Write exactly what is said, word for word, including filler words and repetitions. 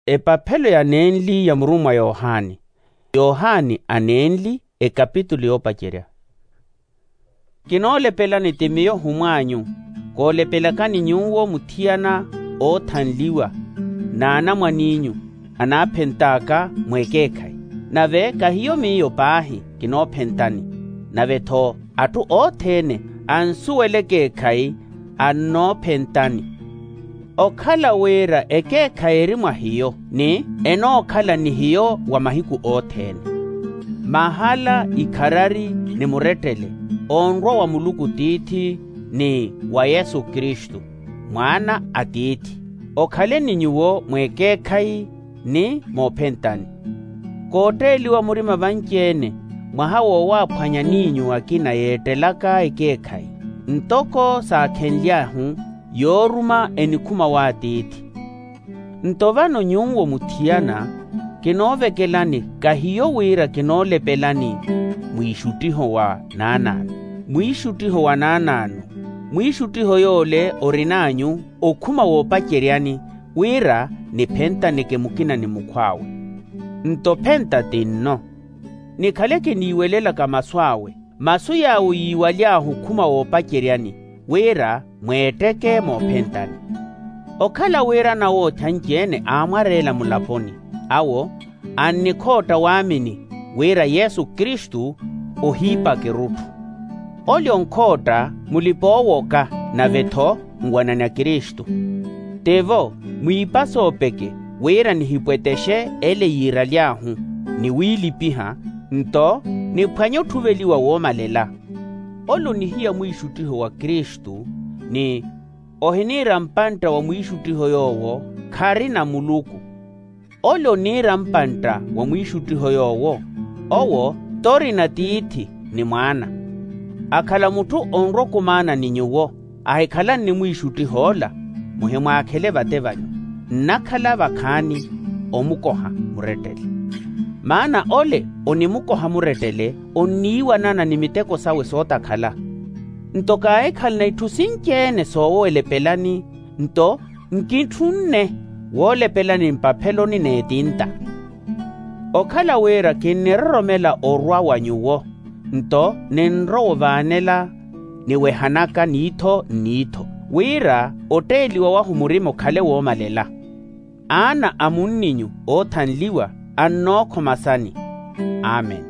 Epaphelo ya nenli ya murummwa yohani. Yohani anenli, ekapitulu yoopacerya. Kinoolepelani ti miyo humw'anyu, koolepelakani nyuwo muthiyana oothanliwa n'anamwan'inyu anaaphent'aka mw'ekeekhayi. Nave kahiyo miyo paahi kinoophentani, nave-tho atthu othene ansuwela ekeekhayi annoophentani. Okhala wira ekeekhayi eri mwa hiyo, ni enookhala ni hiyo wa mahiku othene, mahala ikharari ni murettele onrwa wa muluku tiithi ni wa yesu kristu, mwaana a tiithi. Okhaleni nyuwo mwekeekhayi ni moophentani. Kootteeliwa murima vanci-ene mwaha woowaaphwanya n'inyu akina yeettelaka ekeekhayi, ntoko saakhenly'ahu yooruma enikhuma w'atiithi. Nto vano nyuwo muthiyana, kinoovekelani kahiyo wira kinoolepelani mwiixuttiho wa naanaano. Mwiixuttiho wa naanaano, mwiixuttiho yoole orin'anyu okhuma woopaceryani, wira niphentaneke mukina ni mukhw'awe. Nto phenta ti nno, nikhale kiniiwelelaka masu awe, masu yaawo yiiwaly'ahu okhuma woopaceryani, wira mweetteke moophentani. Okhala wira anawoothi anci-ene aamwareela mulaponi, awo annikhootta waamini wira yesu kristu ohiipaka erutthu. Ole onkhootta mulipa-oowoka, nave-tho nwanani a kristu. Tivo, mwiipa soopeke wira nihipwetexe ele yiiraly'ahu ni wiilipiha, nto niphwanye otthuveliwa woomalela. Ole onihiya mwiixuttiho wa kristu, ni ohiniira mpantta wa mwiixuttiho yoowo kharina muluku. Ole oniira mpantta wa mwiixuttiho yoowo, owo t'orina tiithi ni mwaana. Akhala mutthu onrwa okumaana ni nyuwo, ahikhala nnimwiixuttiha ola, muhimwaakhele vate vanyu, nnakhala vakhaani omukoha murettele. Maana ole onimukoha murettele onniiwanana ni miteko sawe sootakhala. Nto kaahikhalana itthu sinci-ene soowelepelani, nto nkitthunne woolepelani mpapheloni n'etinta. Okhala wira kinniroromela orwa wa nyuwo, nto ninrowa ovaanela niwehanaka niitho nniitho, wira otteeliwa wahu murima okhale woomalela. Aana a munninyu oothanliwa annookhomasani. Amen.